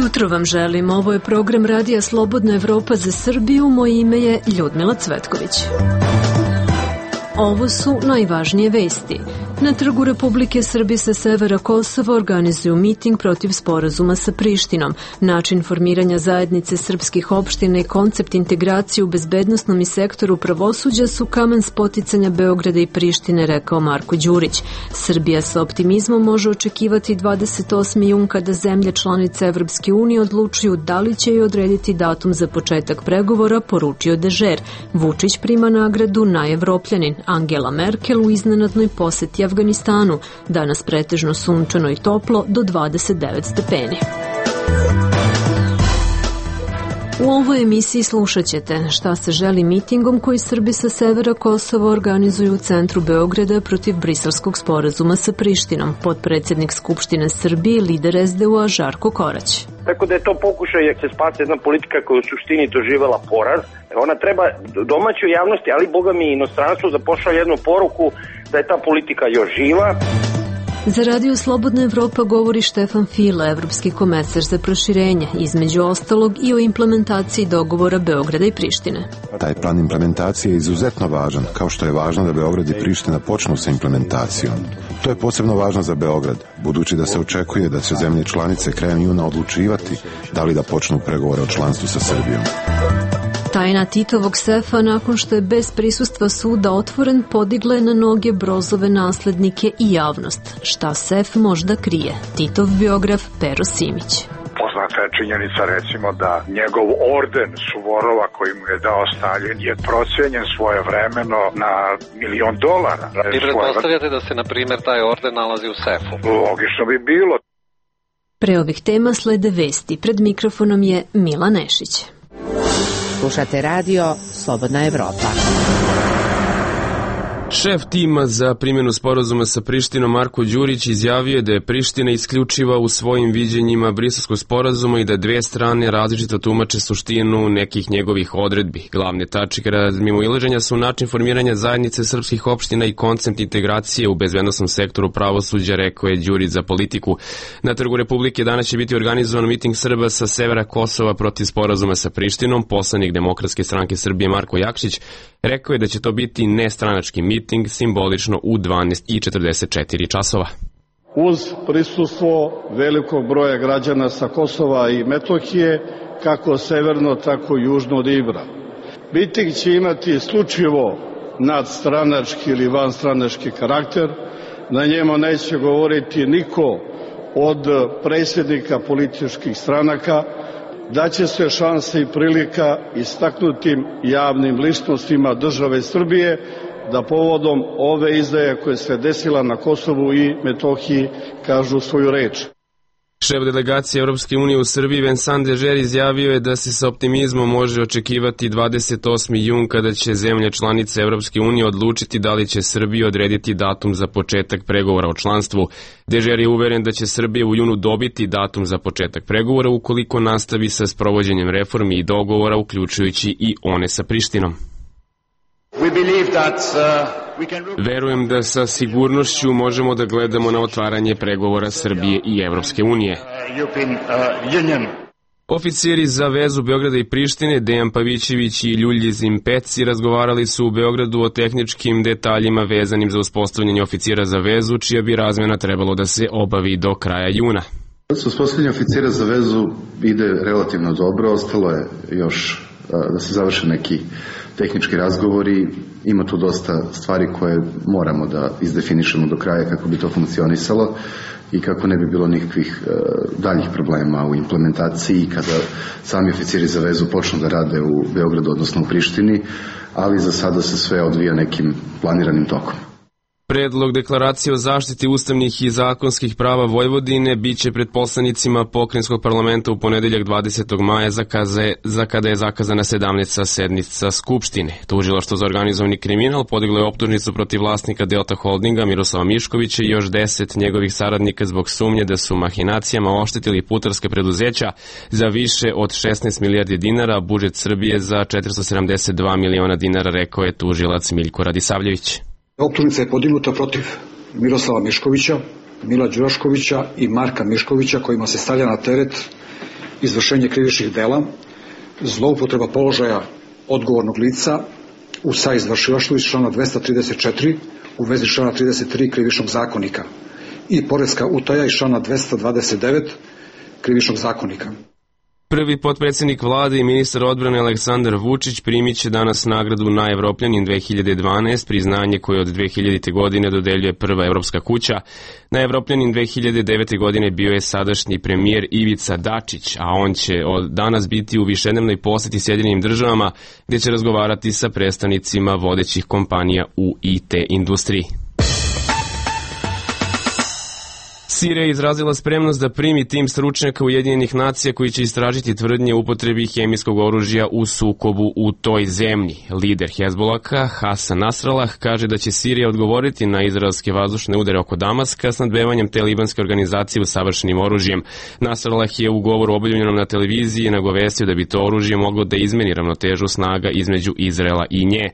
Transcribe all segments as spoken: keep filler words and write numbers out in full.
jutro vam želim. Ovo je program Radija Slobodna Evropa za Srbiju. Moje ime je Ljudmila Cvetković. Ovo su najvažnije vesti. Na Trgu Republike Srbije sa severa Kosova organizuju miting protiv sporazuma sa Prištinom. Način formiranja zajednice srpskih opština i koncept integracije u bezbednosnom i sektoru pravosuđa su kamen spoticanja Beograda i Prištine, rekao Marko Đurić. Srbija sa optimizmom može očekivati dvadeset osmi jun kada zemlje članice Evropske unije odlučuju da li će joj odrediti datum za početak pregovora, poručio Dežer. Vučić prima nagradu Najevropljanin. Angela Merkel u iznenadnoj poseti Afganistanu. Danas pretežno sunčano i toplo do dvadeset devet stepeni. U ovoj emisiji slušat ćete šta se želi mitingom koji Srbi sa severa Kosova organizuju u centru Beograda protiv briselskog sporazuma sa Prištinom. Potpredsjednik Skupštine Srbije, lider es de u a Žarko Korać. Tako da je to pokušaj da se spase jedna politika koja je u suštini doživela poraz. Ona treba domaćoj javnosti, ali boga mi i inostranstvu da pošalje jednu poruku da je ta politika još živa. Za Radio Slobodna Evropa govori Štefan Fila, evropski komesar za proširenje, između ostalog i o implementaciji dogovora Beograda i Prištine. Taj plan implementacije je izuzetno važan, kao što je važno da Beograd i Priština počnu sa implementacijom. To je posebno važno za Beograd, budući da se očekuje da će zemlje članice krajem juna odlučivati da li da počnu pregovore o članstvu sa Srbijom. Tajna Titovog sefa, nakon što je bez prisustva suda otvoren, podigla je na noge Brozove naslednike i javnost. Šta sef možda krije? Titov biograf Pero Simić. Poznata je činjenica, recimo, da njegov orden Suvorova koji mu je dao Stalin je procenjen svojevremeno na milion dolara. I pretpostavljate da se, na primjer, taj orden nalazi u sefu? Logično bi bilo. Pre ovih tema slede vesti. Pred mikrofonom je Mila Nešić. Slušate radio Slobodna Evropa. Šef tima za primjenu sporazuma sa Prištinom Marko Đurić izjavio je da je Priština isključiva u svojim viđenjima Briselskog sporazuma i da dve strane različito tumače suštinu nekih njegovih odredbi. Glavne tačke razmimoilaženja su način formiranja zajednice srpskih opština i koncept integracije u bezbednosnom sektoru pravosuđa, rekao je Đurić za Politiku. Na Trgu Republike danas će biti organizovan miting Srba sa severa Kosova protiv sporazuma sa Prištinom. Poslanik Demokratske stranke Srbije Marko Jakšić rekao je da će to biti nestranački miting, simbolično u dvanaest i četrdeset četiri časova. Uz prisustvo velikog broja građana sa Kosova i Metohije, kako severno, tako i južno od Ibra. Miting će imati isključivo nadstranački ili vanstranački karakter. Na njemu neće govoriti niko od predsjednika političkih stranaka. Daće se šanse i prilika istaknutim javnim ličnostima države Srbije da povodom ove izdaje koje se desila na Kosovu i Metohiji kažu svoju reč. Šef delegacije Evropske unije u Srbiji Vincent Dežer izjavio je da se sa optimizmom može očekivati dvadeset osmi jun kada će zemlje članice Evropske unije odlučiti da li će Srbiji odrediti datum za početak pregovora o članstvu. Dežer je uveren da će Srbija u junu dobiti datum za početak pregovora ukoliko nastavi sa sprovođenjem reformi i dogovora, uključujući i one sa Prištinom. Verujem da sa sigurnošću možemo da gledamo na otvaranje pregovora Srbije i Evropske unije. Oficiri za vezu Beograda i Prištine, Dejan Pavićević i Ljuljizim Peci, razgovarali su u Beogradu o tehničkim detaljima vezanim za uspostavljanje oficira za vezu, čija bi razmena trebalo da se obavi do kraja juna. Uspostavljanje oficira za vezu ide relativno dobro, ostalo je još da se završe neki tehnički razgovori, ima tu dosta stvari koje moramo da izdefinišemo do kraja kako bi to funkcionisalo i kako ne bi bilo nikakvih uh, daljih problema u implementaciji kada sami oficiri za vezu počnu da rade u Beogradu, odnosno u Prištini, ali za sada se sve odvija nekim planiranim tokom. Predlog deklaracije o zaštiti ustavnih i zakonskih prava Vojvodine biće pred poslanicima pokrajinskog parlamenta u ponedeljak dvadesetog maja za, kaze, za kada je zakazana sedamnaesta sednica Skupštine. Tužilaštvo za organizovani kriminal podiglo je optužnicu protiv vlasnika Delta Holdinga Miroslava Miškovića i još deset njegovih saradnika zbog sumnje da su mahinacijama oštetili putarska preduzeća za više od šesnaest milijardi dinara, budžet Srbije za četiristo sedamdeset dva miliona dinara, rekao je tužilac Miljko Radisavljević. Optužnica je podignuta protiv Miroslava Miškovića, Mila Đuraškovića i Marka Miškovića, kojima se stavlja na teret izvršenje krivičnih dela, zloupotreba položaja odgovornog lica u saizvršilaštvu iz člana dvesta trideset četiri u vezi člana trideset tri krivičnog zakonika i poreska utaja iz člana dvesta dvadeset devet krivičnog zakonika. Prvi potpredsjednik vlade i ministar odbrane Aleksandar Vučić primit će danas nagradu Najevropljanin dve hiljade dvanaest, priznanje koje od dve hiljadite. godine dodeljuje prva evropska kuća. Najevropljanin dve hiljade devete. godine bio je sadašnji premijer Ivica Dačić, a on će od danas biti u višednevnoj poseti Sjedinjenim državama, gdje će razgovarati sa predstavnicima vodećih kompanija u I T industriji. Sirija je izrazila spremnost da primi tim stručnjaka Ujedinjenih nacija koji će istražiti tvrdnje o upotrebi hemijskog oružja u sukobu u toj zemlji. Lider Hezbolaka, Hasan Nasrallah, kaže da će Sirija odgovoriti na izraelske vazdušne udare oko Damaska s nadbevanjem te libanske organizacije usavršenim oružjem. Nasrallah je u govoru objavljenom na televiziji nagovestio da bi to oružje moglo da izmeni ravnotežu snaga između Izraela i nje.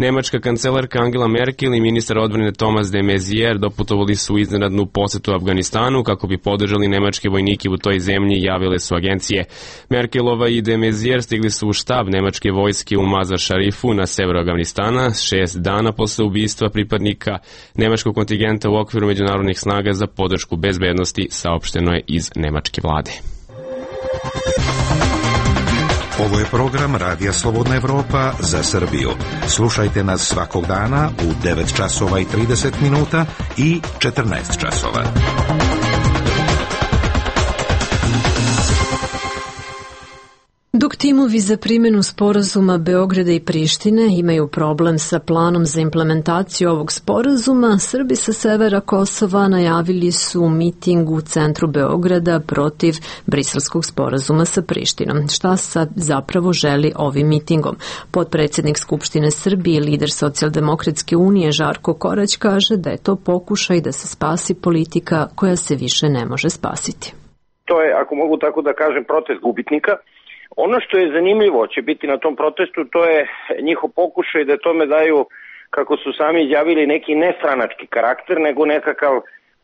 Nemačka kancelarka Angela Merkel i ministar odbrane Thomas de Maizière doputovali su u iznenadnu posetu Afganistanu kako bi podržali nemačke vojnike u toj zemlji, javile su agencije. Merkelova i de Maizière stigli su u štab nemačke vojske u Mazar Šarifu na severu Afganistana šest dana posle ubistva pripadnika nemačkog kontingenta u okviru međunarodnih snaga za podršku bezbednosti, saopšteno je iz nemačke vlade. Ovo je program Radija Slobodna Evropa za Srbiju. Slušajte nas svakog dana u devet časova i trideset minuta i četrnaest časova. Dok timovi za primjenu sporazuma Beograda i Prištine imaju problem sa planom za implementaciju ovog sporazuma, Srbi sa severa Kosova najavili su miting u centru Beograda protiv briselskog sporazuma sa Prištinom. Šta sad zapravo želi ovim mitingom? Potpredsjednik Skupštine Srbije i lider Socijaldemokratske unije Žarko Korać kaže da je to pokušaj da se spasi politika koja se više ne može spasiti. To je, ako mogu tako da kažem, protest gubitnika. Ono što je zanimljivo će biti na tom protestu, to je njihov pokušaj da tome daju, kako su sami izjavili, neki nestranački karakter, nego nekakav,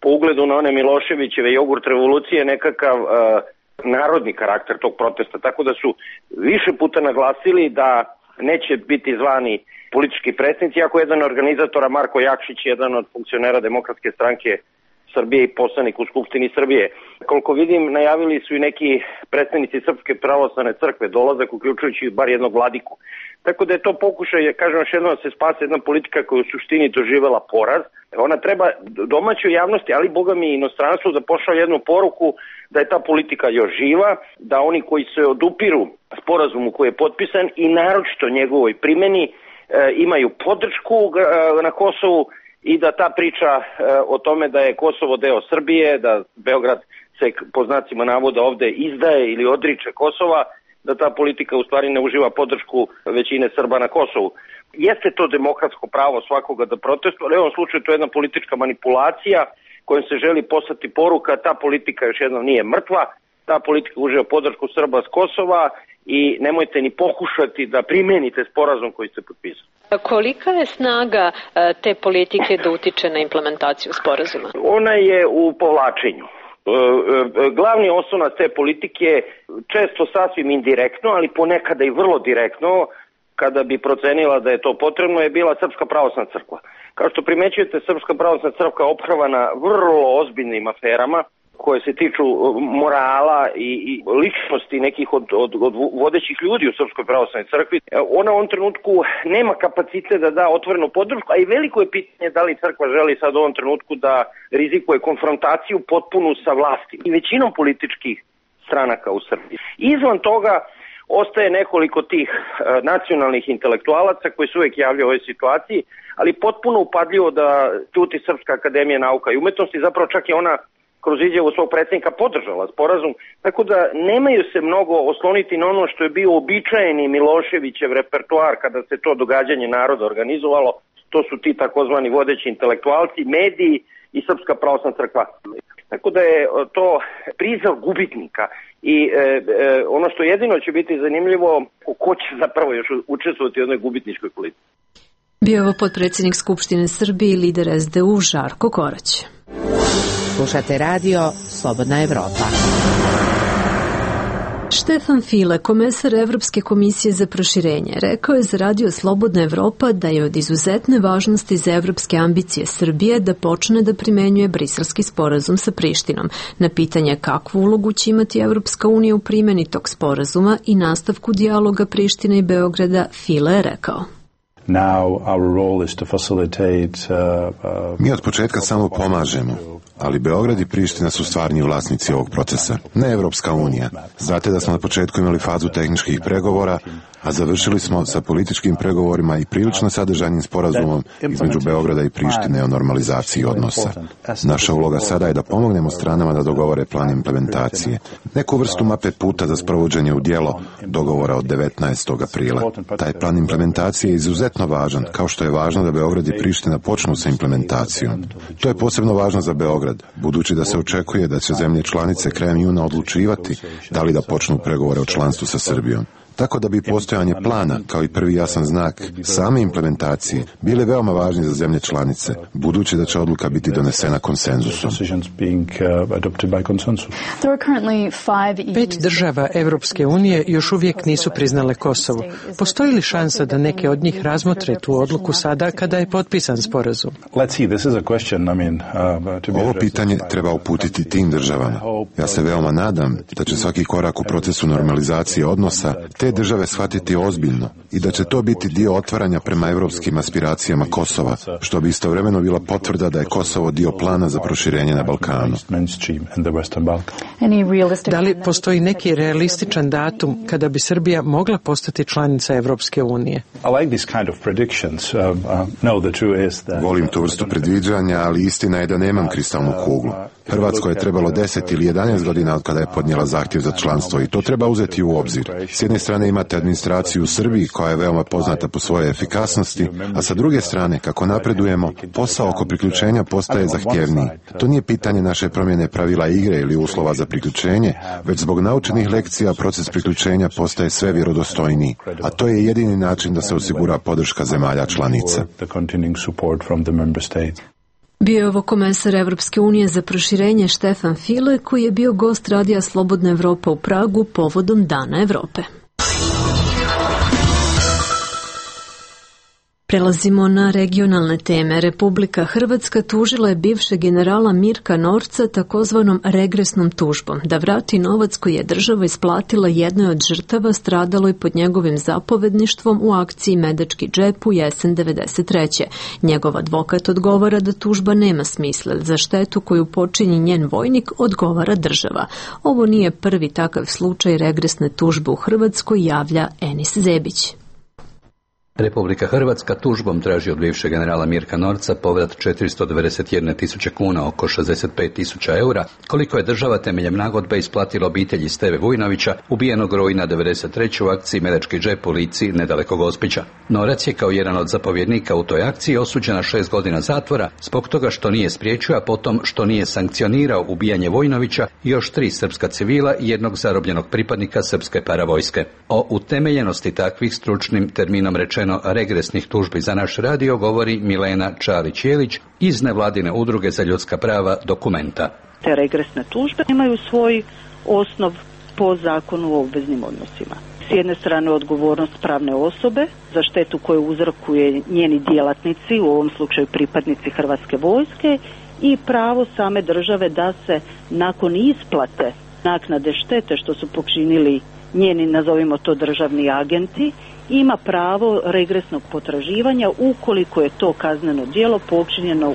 po ugledu na one Miloševićeve jogurt revolucije, nekakav uh, narodni karakter tog protesta. Tako da su više puta naglasili da neće biti zvani politički predstavnici, iako jedan od organizatora, Marko Jakšić, jedan od funkcionera Demokratske stranke Srbije i poslanik u Skupštini Srbije. Koliko vidim, najavili su i neki predstavnici Srpske pravoslavne crkve dolazak, uključujući bar jednog vladiku. Tako da je to pokušaj, kažem još jednom, da se spase jedna politika koja u suštini doživela poraz. Ona treba domaćoj javnosti, ali boga mi i inostranstvu, da pošalje jednu poruku da je ta politika još živa, da oni koji se odupiru sporazumu koji je potpisan i naročito njegovoj primjeni e, imaju podršku e, na Kosovu, i da ta priča e, o tome da je Kosovo deo Srbije, da Beograd se po znacima navoda ovde izdaje ili odriče Kosova, da ta politika u stvari ne uživa podršku većine Srba na Kosovu. Jeste to demokratsko pravo svakoga da protestuje, ali u ovom slučaju to je jedna politička manipulacija kojom se želi poslati poruka, ta politika još jednom nije mrtva, ta politika uživa podršku Srba s Kosova i nemojte ni pokušati da primenite sporazum koji ste potpisali. Kolika je snaga te politike da utiče na implementaciju sporazuma? Ona je u povlačenju. Glavni osnovac te politike često sasvim indirektno, ali ponekada i vrlo direktno, kada bi procenila da je to potrebno, je bila Srpska pravoslavna crkva. Kao što primećujete, Srpska pravoslavna crkva je ophrvana vrlo ozbiljnim aferama koje se tiču morala i, i ličnosti nekih od, od, od vodećih ljudi u Srpskoj pravoslavnoj crkvi. Ona u ovom trenutku nema kapacitet da da otvorenu podršku, a i veliko je pitanje da li crkva želi sad u ovom trenutku da rizikuje konfrontaciju potpunu sa vlasti i većinom političkih stranaka u Srbiji. Izvan toga ostaje nekoliko tih e, nacionalnih intelektualaca koji se uvek javljaju u ovoj situaciji, ali potpuno upadljivo da tuti Srpska akademija nauka i umetnosti, zapravo čak je ona kroz izjavu svog predsjednika podržala sporazum, tako da nemaju se mnogo osloniti na ono što je bio običajeni Miloševićev repertoar kada se to događanje naroda organizovalo, to su ti takozvani vodeći intelektualci, mediji i Srpska pravoslavna crkva. Tako da je to prizav gubitnika i e, e, ono što jedino će biti zanimljivo, ko će zapravo još učestvovati u jednoj gubitničkoj politici. Bio je ovo potpredsjednik Skupštine Srbije i lider es de u Žarko Korać. Slušate radio Slobodna Evropa. Štefan File, komesar Evropske komisije za proširenje, rekao je za Radio Slobodna Evropa da je od izuzetne važnosti za evropske ambicije Srbije da počne da primenjuje Briselski sporazum sa Prištinom. Na pitanje kakvu ulogu će imati Evropska unija u primjeni tog sporazuma i nastavku dijaloga Prištine i Beograda, File je rekao. Mi od početka samo pomažemo, ali Beograd i Priština su stvarni vlasnici ovog procesa, ne Evropska unija. Znate da smo na početku imali fazu tehničkih pregovora, a završili smo sa političkim pregovorima i prilično sadržajnim sporazumom između Beograda i Prištine o normalizaciji odnosa. Naša uloga sada je da pomognemo stranama da dogovore plan implementacije. Neku vrstu mape puta za sprovođenje u djelo dogovora od devetnaestog aprila. Taj plan implementacije je izuzetno važan, kao što je važno da Beograd i Priština počnu sa implementacijom. To je posebno važno za Beograd, budući da se očekuje da će zemlje članice krajem juna odlučivati da li da počnu pregovore o članstvu sa Srbijom. Tako da bi postojanje plana, kao i prvi jasan znak same implementacije, bile veoma važni za zemlje članice, budući da će odluka biti donesena konsenzusom. Pet država Evropske unije još uvijek nisu priznale Kosovo. Postoji li šansa da neke od njih razmotre tu odluku sada kada je potpisan sporazum? Ovo pitanje treba uputiti tim državama. Ja se veoma nadam da će svaki korak u procesu normalizacije odnosa te države shvatiti ozbiljno i da će to biti dio otvaranja prema evropskim aspiracijama Kosova, što bi istovremeno bila potvrda da je Kosovo dio plana za proširenje na Balkanu. Da li postoji neki realističan datum kada bi Srbija mogla postati članica Evropske unije? Volim tu vrstu predviđanja, ali istina je da nemam kristalnu kuglu. Hrvatskoj je trebalo deset ili jedanaest godina od kada je podnijela zahtjev za članstvo i to treba uzeti u obzir. S jedne strane imate administraciju u Srbiji koja je veoma poznata po svojoj efikasnosti, a sa druge strane, kako napredujemo, posao oko priključenja postaje zahtjevniji. To nije pitanje naše promjene pravila igre ili uslova za priključenje, već zbog naučenih lekcija proces priključenja postaje sve vjerodostojniji, a to je jedini način da se osigura podrška zemalja članica. Bio je ovo komesar Evropske unije za proširenje Štefan File, koji je bio gost Radija Slobodna Evropa u Pragu povodom Dana Evrope. Prelazimo na regionalne teme. Republika Hrvatska tužila je bivšeg generala Mirka Norca takozvanom regresnom tužbom da vrati novac koji je država isplatila jednoj od žrtava stradaloj pod njegovim zapovedništvom u akciji Medački džep u jesen devedeset treće. Njegov advokat odgovara da tužba nema smisla, za štetu koju počini njen vojnik odgovara država. Ovo nije prvi takav slučaj regresne tužbe u Hrvatskoj, javlja Enis Zebić. Republika Hrvatska tužbom traži od bivšeg generala Mirka Norca povrat četiristo devedeset jedne tisuće kuna, oko šezdeset pet tisuća eura, koliko je država temeljem nagodbe isplatila obitelji Steve Vujnovića, ubijenog rujna devedeset treće u akciji Medački džep u Lici nedaleko Gospića. Norac je kao jedan od zapovjednika u toj akciji osuđen na šest godina zatvora zbog toga što nije spriječio, a potom što nije sankcionirao ubijanje Vujnovića i još tri srpska civila i jednog zarobljenog pripadnika srpske paravojske. O utemeljenosti takvih, stručnim terminom rečeno regresnih tužbi za naš radio, govori Milena Čalić-Jelić iz nevladine udruge za ljudska prava Dokumenta. Te regresne tužbe imaju svoj osnov po zakonu o obveznim odnosima. S jedne strane odgovornost pravne osobe za štetu koju uzrokuje njeni djelatnici, u ovom slučaju pripadnici Hrvatske vojske, i pravo same države da se nakon isplate naknade štete što su počinili njeni, nazovimo to, državni agenti, ima pravo regresnog potraživanja ukoliko je to kazneno djelo počinjeno,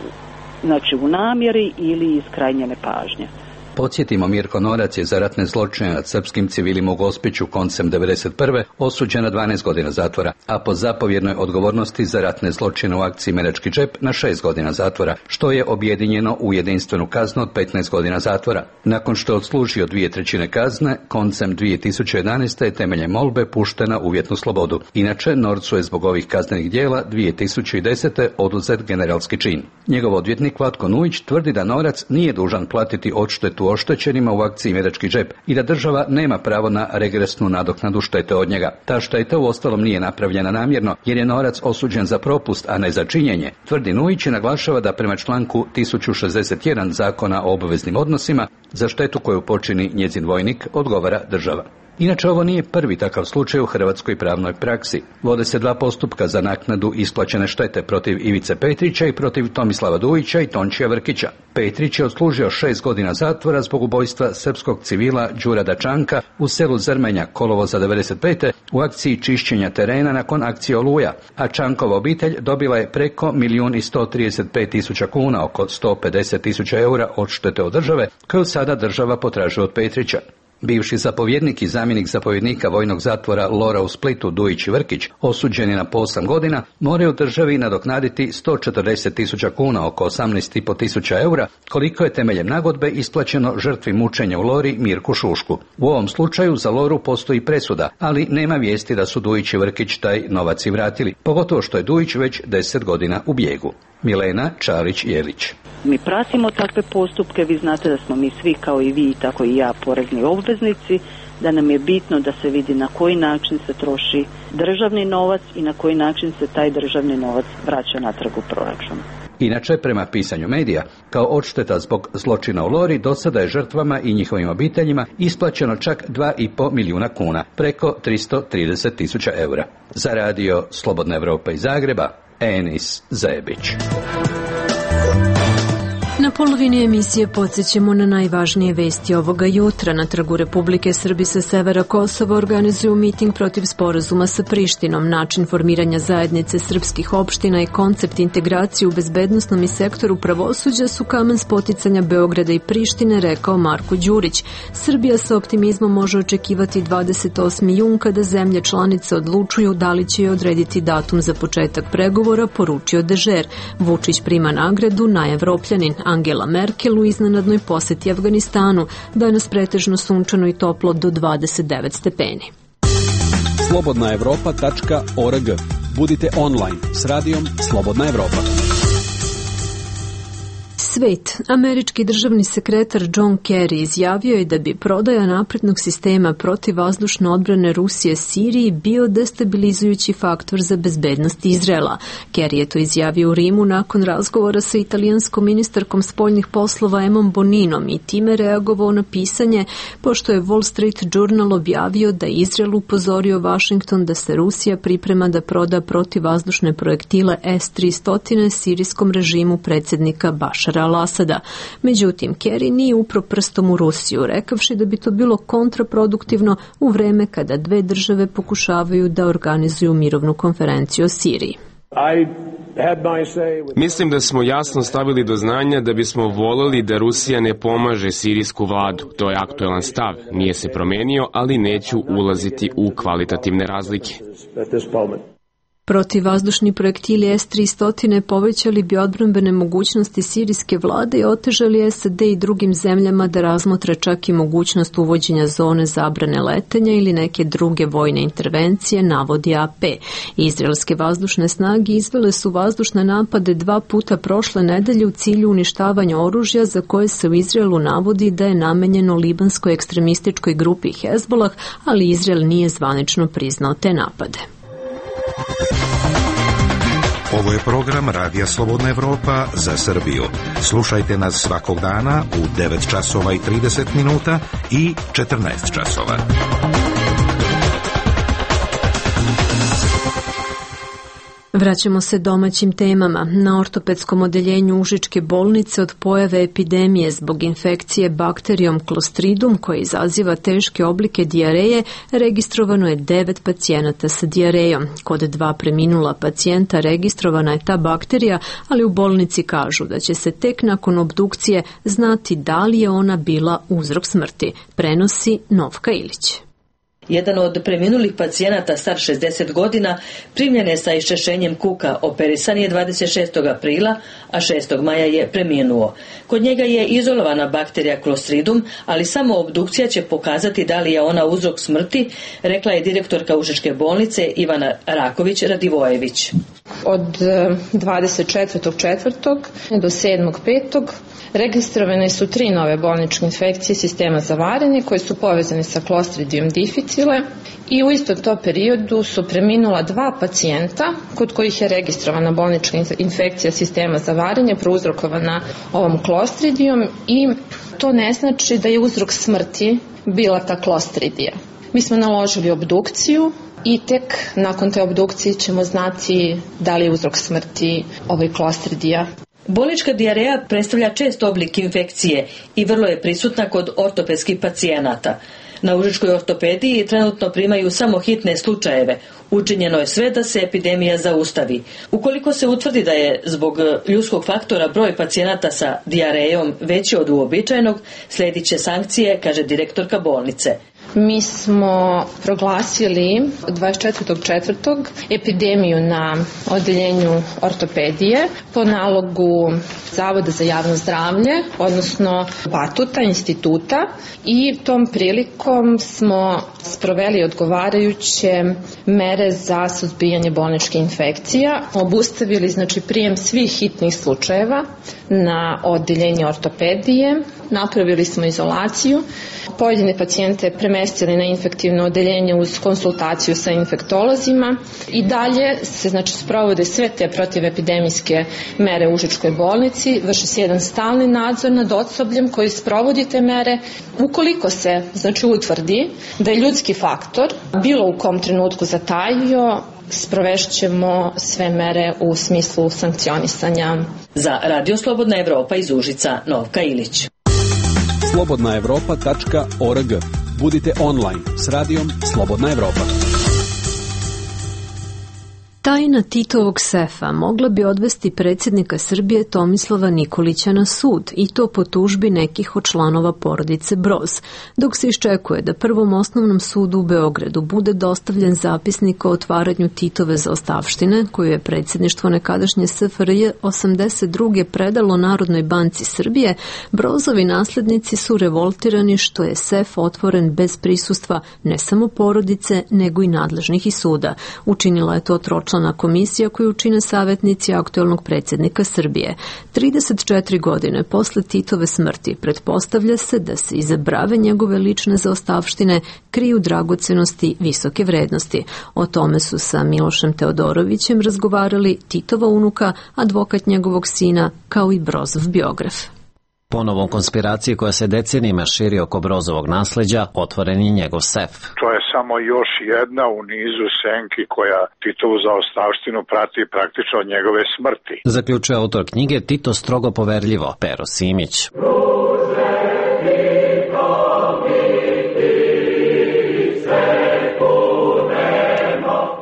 znači, u namjeri ili iz krajnje nepažnje. Podsjetimo, Mirko Norac je za ratne zločine nad srpskim civilima u Gospiću koncem devedeset prve osuđen na dvanaest godina zatvora, a po zapovjednoj odgovornosti za ratne zločine u akciji Medački džep na šest godina zatvora, što je objedinjeno u jedinstvenu kaznu od petnaest godina zatvora. Nakon što je odslužio dvije trećine kazne, koncem dvije tisuće jedanaeste je temeljem molbe pušten na uvjetnu slobodu. Inače, Norcu je zbog ovih kaznenih djela dvije tisuće desete oduzet generalski čin. Njegov odvjetnik Vlatko Nujić tvrdi da Norac nije dužan platiti odštetu oštećenima u akciji Medački džep i da država nema pravo na regresnu nadoknadu štete od njega. Ta šteta uostalom nije napravljena namjerno jer je Norac osuđen za propust, a ne za činjenje. Tvrdi Nujić i naglašava da prema članku tisuću šezdeset jedan Zakona o obveznim odnosima za štetu koju počini njezin vojnik odgovara država. Inače, ovo nije prvi takav slučaj u hrvatskoj pravnoj praksi. Vode se dva postupka za naknadu isplaćene štete protiv Ivice Petrića i protiv Tomislava Dujića i Tončija Vrkića. Petrić je odslužio šest godina zatvora zbog ubojstva srpskog civila Đurada Čanka u selu Zrmenja kolovoza devedeset pete u akciji čišćenja terena nakon akcije Oluja, a Čankova obitelj dobila je preko milijun i sto trideset pet tisuća kuna, oko sto pedeset tisuća eura odštete od države, koju sada država potražuje od Petrića. Bivši zapovjednik i zamjenik zapovjednika vojnog zatvora Lora u Splitu Dujić i Vrkić, osuđeni na po osam godina, moraju državi nadoknaditi sto četrdeset tisuća kuna, oko osamnaest i po tisuća eura, koliko je temeljem nagodbe isplaćeno žrtvi mučenja u Lori Mirku Šušku. U ovom slučaju za Loru postoji presuda, ali nema vijesti da su Dujić i Vrkić taj novac i vratili, pogotovo što je Dujić već deset godina u bijegu. Milena Čarić-Jelić. Mi pratimo takve postupke, vi znate da smo mi svi kao i vi, tako i ja, porezni obveznici, da nam je bitno da se vidi na koji način se troši državni novac i na koji način se taj državni novac vraća natrag u proračun. Inače, prema pisanju medija, kao odšteta zbog zločina u Lori, do sada je žrtvama i njihovim obiteljima isplaćeno čak dva i po milijuna kuna, preko tristo trideset tisuća eura. Za radio Slobodna Evropa iz Zagreba, Enis Zebić. Na polovini emisije podsjećamo na najvažnije vesti ovoga jutra. Na Trgu Republike Srbije sa severa Kosova organizuju miting protiv sporazuma sa Prištinom. Način formiranja zajednice srpskih opština i koncept integracije u bezbednosnom i sektoru pravosuđa su kamen spoticanja Beograda i Prištine, rekao Marko Đurić. Srbija sa optimizmom može očekivati dvadeset osmi jun kada zemlje članice odlučuju da li će odrediti datum za početak pregovora, poručio Dežer. Vučić prima nagradu najevropljanin. Angela Merkel u iznenadnoj poseti Afganistanu. Danas pretežno sunčano i toplo do dvadeset devet stepeni. slobodna evropa tačka org. Budite online s radijom Slobodna Evropa. Svet. Američki državni sekretar John Kerry izjavio je da bi prodaja naprednog sistema protivvazdušne odbrane Rusije Siriji bio destabilizujući faktor za bezbednost Izraela. Kerry je to izjavio u Rimu nakon razgovora sa italijanskom ministarkom spoljnih poslova Emom Boninom i time reagovao na pisanje, pošto je Wall Street Journal objavio da je Izrael upozorio Washington da se Rusija priprema da proda protivvazdušne projektile S tristo sirijskom režimu predsjednika Bašara al-Asada. Međutim, Kerry nije upro prstom u Rusiju, rekavši da bi to bilo kontraproduktivno u vreme kada dve države pokušavaju da organizuju mirovnu konferenciju o Siriji. Mislim da smo jasno stavili do znanja da bismo voleli da Rusija ne pomaže sirijsku vladu. To je aktuelan stav. Nije se promenio, ali neću ulaziti u kvalitativne razlike. Protivvazdušni projektili S tristo povećali bi odbrambene mogućnosti sirijske vlade i otežali S A D i drugim zemljama da razmotre čak i mogućnost uvođenja zone zabrane letenja ili neke druge vojne intervencije, navodi A P. Izraelske vazdušne snage izvele su vazdušne napade dva puta prošle nedelje u cilju uništavanja oružja za koje se u Izraelu navodi da je namenjeno libanskoj ekstremističkoj grupi Hezbolah, ali Izrael nije zvanično priznao te napade. Ovo je program Radija Slobodna Evropa za Srbiju. Slušajte nas svakog dana u devet časova i trideset minuta i četrnaest časova. Vraćamo se domaćim temama. Na ortopedskom odeljenju Užičke bolnice od pojave epidemije zbog infekcije bakterijom Clostridium koja izaziva teške oblike dijareje, registrovano je devet pacijenata sa dijarejom. Kod dva preminula pacijenta registrovana je ta bakterija, ali u bolnici kažu da će se tek nakon obdukcije znati da li je ona bila uzrok smrti, prenosi Novka Ilić. Jedan od preminulih pacijenata star šezdeset godina primljen je sa iščešenjem kuka, operisan je dvadeset šestog aprila, a šestog maja je preminuo. Kod njega je izolovana bakterija Clostridium, ali samo obdukcija će pokazati da li je ona uzrok smrti, rekla je direktorka Užičke bolnice Ivana Raković-Radivojević. Od dvadeset četvrtog četvrtog do sedmog petog registrovane su tri nove bolničke infekcije sistema za varenje koje su povezane sa Clostridium difficile i u istom to periodu su preminula dva pacijenta kod kojih je registrovana bolnička infekcija sistema za varenje prouzrokovana ovom Clostridium i to ne znači da je uzrok smrti bila ta Clostridija. Mi smo naložili obdukciju i tek nakon te obdukcije ćemo znati da li je uzrok smrti ovaj Clostridija. Bolnička dijareja predstavlja čest oblik infekcije i vrlo je prisutna kod ortopedskih pacijenata. Na užičkoj ortopediji trenutno primaju samo hitne slučajeve. Učinjeno je sve da se epidemija zaustavi. Ukoliko se utvrdi da je zbog ljudskog faktora broj pacijenata sa dijarejom veći od uobičajenog, sledit će sankcije, kaže direktorka bolnice. Mi smo proglasili dvadeset četvrtog četvrtog epidemiju na odeljenju ortopedije po nalogu Zavoda za javno zdravlje, odnosno Batuta instituta, i tom prilikom smo sproveli odgovarajuće mere za suzbijanje bolničkih infekcija. Obustavili znači prijem svih hitnih slučajeva na odeljenje ortopedije, napravili smo izolaciju, pojedine pacijente premestili na infektivno odeljenje uz konsultaciju sa infektolozima i dalje se znači sprovode sve te protivepidemijske mere u Užičkoj bolnici, vrši se jedan stalni nadzor nad osobljem koji sprovodi te mere. Ukoliko se znači utvrdi da je ljudski faktor bilo u kom trenutku zatajio, sprovešćemo sve mere u smislu sankcionisanja. Za Radio Slobodna Evropa iz Užica, Novka Ilić. slobodna evropa tačka org. Budite online s radijom Slobodna Evropa. Tajna Titovog sefa mogla bi odvesti predsjednika Srbije Tomislava Nikolića na sud, i to po tužbi nekih od članova porodice Broz, dok se iščekuje da Prvom osnovnom sudu u Beogradu bude dostavljen zapisnik o otvaranju Titove zaostavštine, koju je predsjedništvo nekadašnje S F R J osamdeset druge predalo Narodnoj banci Srbije. Brozovi naslednici su revoltirani što je sef otvoren bez prisustva ne samo porodice, nego i nadležnih iz suda. Učinila je to tročlana komisija koju čine savjetnici aktuelnog predsjednika Srbije. trideset četiri godine posle Titove smrti pretpostavlja se da se iza brave njegove lične zaostavštine kriju dragocenosti visoke vrednosti. O tome su sa Milošem Teodorovićem razgovarali Titova unuka, advokat njegovog sina, kao i Brozov biograf. Ponovom konspiracije koja se decenijima širi oko Brozovog nasleđa, otvoren je njegov sef. To je samo još jedna u nizu senki koja Titovu zaostavštinu prati praktično od njegove smrti. Zaključuje autor knjige Tito strogo poverljivo, Pero Simić.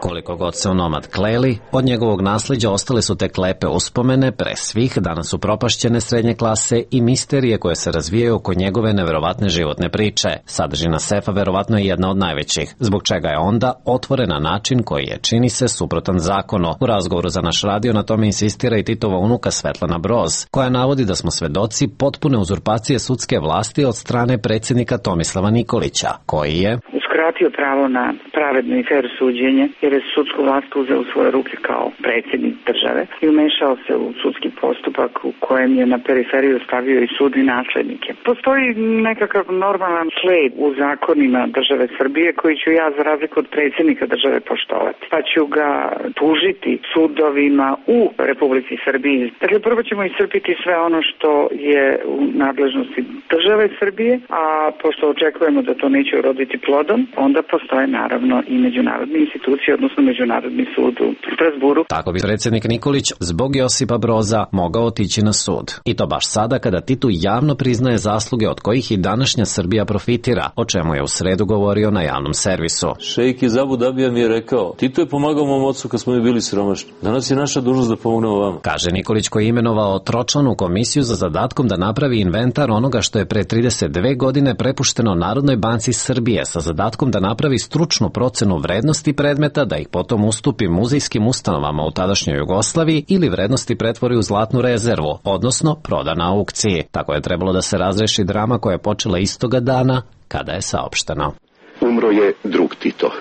Koliko god se onomad kleli, od njegovog nasleđa ostale su tek lepe uspomene, pre svih danas su propašćene srednje klase i misterije koje se razvijaju oko njegove neverovatne životne priče. Sadržina sefa verovatno je jedna od najvećih, zbog čega je onda otvoren na način koji je, čini se, suprotan zakonu. U razgovoru za naš radio na tome insistira i Titova unuka Svetlana Broz, koja navodi da smo svedoci potpune uzurpacije sudske vlasti od strane predsjednika Tomislava Nikolića, koji je uskratio pravo na pravedno i fer suđenje, jer je sudsku vlast uzeo u svoje ruke kao predsjednik države i umešao se u sudski postupak u kojem je na periferiju stavio i sud i načelnike. Postoji nekakav normalan sled u zakonima države Srbije koji ću ja za razliku od predsjednika države poštovati, pa ću ga tužiti sudovima u Republici Srbiji. Dakle, prvo ćemo iscrpiti sve ono što je u nadležnosti države Srbije, a pošto očekujemo da to neće uroditi plodom, onda postoje naravno i međunarodne institucije, odnosno Međunarodni sud u Strasburu. Tako bi predsjednik Nikolić zbog Josipa Broza mogao otići na sud. I to baš sada kada Titu javno priznaje zasluge od kojih i današnja Srbija profitira, o čemu je u sredu govorio na javnom servisu. Šejk iz Abu Dabija mi je rekao, Tito je pomagao mom ocu kad smo mi bili siromašni. Danas je naša dužnost da pomognemo vama. Kaže Nikolić, koji je imenovao tročlanu komisiju za zadatkom da napravi inventar onoga što je pre trideset dve godine prepušteno Narodnoj banci Srbije sa zadatkom da napravi stručnu procenu vrednosti predmeta, da ih potom ustupi muzejskim ustanovama u tadašnjoj Jugoslaviji ili vrednosti pretvori u zlatnu rezervu, odnosno proda na aukciji. Tako je trebalo da se razreši drama koja je počela istoga dana kada je saopšteno. Umro je drug Tito.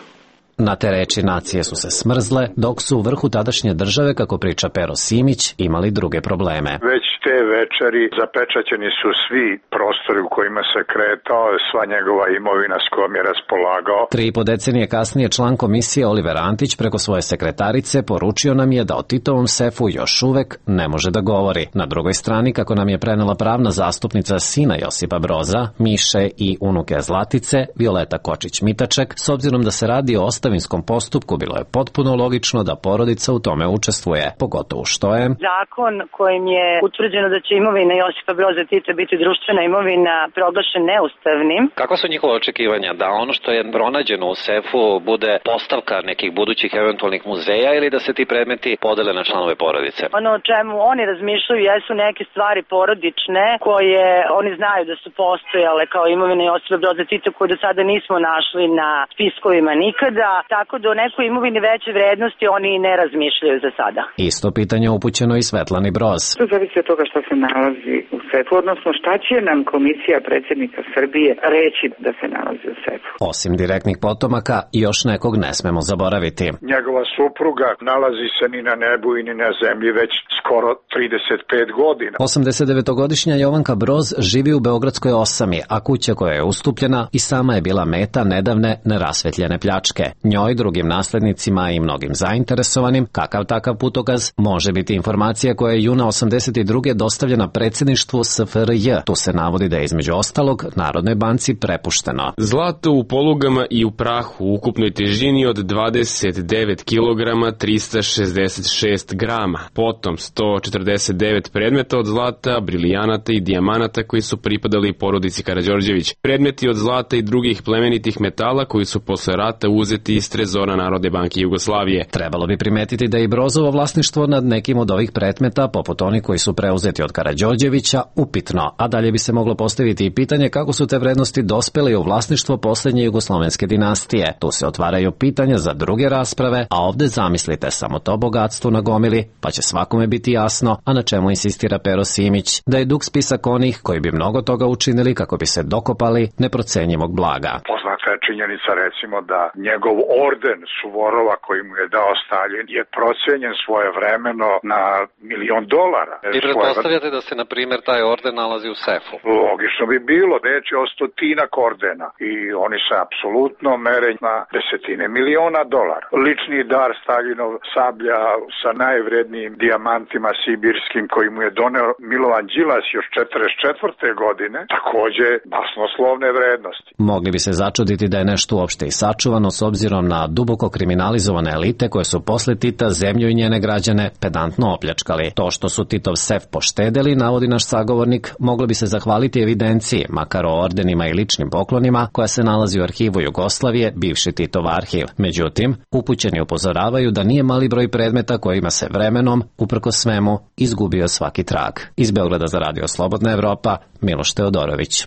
Na te reči nacije su se smrzle, dok su u vrhu tadašnje države, kako priča Pero Simić, imali druge probleme. Već te večeri zapečaćeni su svi prostori u kojima se kretao, sva njegova imovina s kojom je raspolagao. Tri i po decenije kasnije član komisije Oliver Antić preko svoje sekretarice poručio nam je da o Titovom sefu još uvek ne može da govori. Na drugoj strani, kako nam je prenela pravna zastupnica sina Josipa Broza, Miše i unuke Zlatice, Violeta Kočić-Mitaček, s obzirom da se radi o ostavinskom postupku, bilo je potpuno logično da porodica u tome učestvuje, pogotovo što je zakon kojim je utvrđeno da će imovina Josipa Broza Tita biti društvena imovina proglašen neustavnim. Kakva su njihova očekivanja? Da ono što je pronađeno u sefu bude postavka nekih budućih eventualnih muzeja ili da se ti predmeti podele na članove porodice? Ono o čemu oni razmišljaju jesu neke stvari porodične koje oni znaju da su postojale kao imovina Josipa Broza Tita koju do sada nismo našli na spiskovima nikada, tako da o nekoj imovini veće vrednosti oni ne razmišljaju za sada. Isto pitanje upućeno i Svetlani Broz. To zavisi od toga što se nalazi u sefu, odnosno šta će nam komisija predsjednika Srbije reći da se nalazi u sefu. Osim direktnih potomaka, još nekog ne smemo zaboraviti. Njegova supruga nalazi se ni na nebu i ni na zemlji već skoro trideset pet godina. osamdesetdevetogodišnja Jovanka Broz živi u Beogradskoj osami, a kuća koja je ustupljena i sama je bila meta nedavne nerasvetljene pljačke. Njoj, drugim naslednicima i mnogim zainteresovanim, kakav takav putokaz može biti informacija koja je juna osamdeset druge dostavljena predsjedništvu S F R J. Tu se navodi da je između ostalog Narodnoj banci prepušteno zlato u polugama i u prahu u ukupnoj težini od dvadeset devet kilograma trista šezdeset šest grama, potom sto četrdeset devet predmeta od zlata, brilijanata i dijamanata koji su pripadali porodici Karađorđević, predmeti od zlata i drugih plemenitih metala koji su posle rata uzeti iz trezora Narodne banke Jugoslavije. Trebalo bi primetiti da je i Brozovo vlasništvo nad nekim od ovih predmeta, poput onih koji su preuzeti od Karađorđevića, upitno, a dalje bi se moglo postaviti i pitanje kako su te vrednosti dospele u vlasništvo posljednje jugoslovenske dinastije. Tu se otvaraju pitanja za druge rasprave, a ovde zamislite samo to bogatstvo na gomili, pa će svakome biti jasno, a na čemu insistira Pero Simić, da je dug spisak onih koji bi mnogo toga učinili kako bi se dokopali neprocenjivog blaga. Poznata je činjenica recimo da njegov orden Suvorova koji mu je dao Stalin je procenjen svojevremeno na milion dolara. I pretpostavljate da se, na primjer, taj orden nalazi u sefu? Logično bi bilo, reč je o stotinak ordena i oni se apsolutno mere na desetine miliona dolara. Lični dar Staljinov sablja sa najvrednijim dijamantima sibirskim koji mu je doneo Milovan Đilas još četrdeset četvrte godine, takođe basnoslovne vrednosti. Mogli bi se začuditi da je nešto uopšte i sačuvano s obzirom na duboko kriminalizovane elite koje su posle Tita zemlju i njene građane pedantno opljačkali. To što su Titov sef poštedeli, navodi naš sagovornik, moglo bi se zahvaliti evidenciji, makar o ordenima i ličnim poklonima, koja se nalazi u arhivu Jugoslavije, bivši Titov arhiv. Međutim, upućeni upozoravaju da nije mali broj predmeta kojima se vremenom, uprko svemu, izgubio svaki trag. Iz Beograda za Radio Slobodna Evropa, Miloš Teodorović.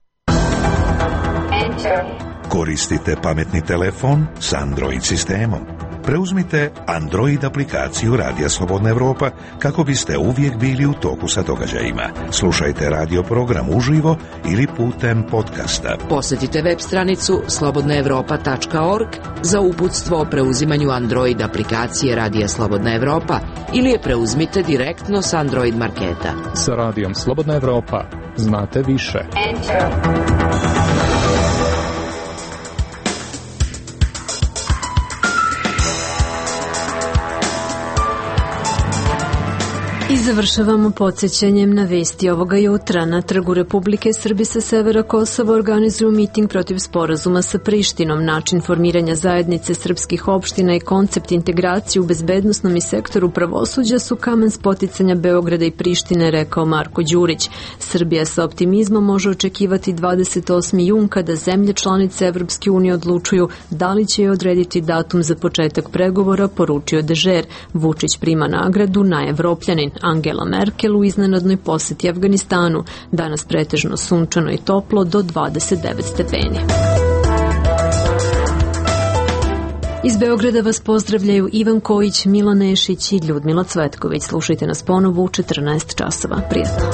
Koristite pametni telefon s Android sistemom. Preuzmite Android aplikaciju Radija Slobodna Evropa kako biste uvijek bili u toku sa događajima. Slušajte radio program uživo ili putem podcasta. Posjetite web stranicu slobodna evropa tačka org za uputstvo o preuzimanju Android aplikacije Radija Slobodna Evropa ili je preuzmite direktno s Android marketa. Sa Radijom Slobodna Evropa znate više. Enter. I završavamo podsjećanjem na vesti ovoga jutra. Na Trgu Republike Srbije sa severa Kosova organizuju miting protiv sporazuma sa Prištinom. Način formiranja zajednice srpskih opština i koncept integracije u bezbednosnom i sektoru pravosuđa su kamen spoticanja Beograda i Prištine, rekao Marko Đurić. Srbija sa optimizmom može očekivati dvadeset osmi jun kada zemlje članice Evropske unije odlučuju da li će joj odrediti datum za početak pregovora, poručio Dežer. Vučić prima nagradu na Evropljanin. Angela Merkel u iznenadnoj poseti Afganistanu. Danas pretežno sunčano i toplo do dvadeset devet stepeni. Iz Beograda vas pozdravljaju Ivan Kojić, Milan Nešić i Ljudmila Cvetković. Slušajte nas ponovo u četrnaest časova. Prijatno.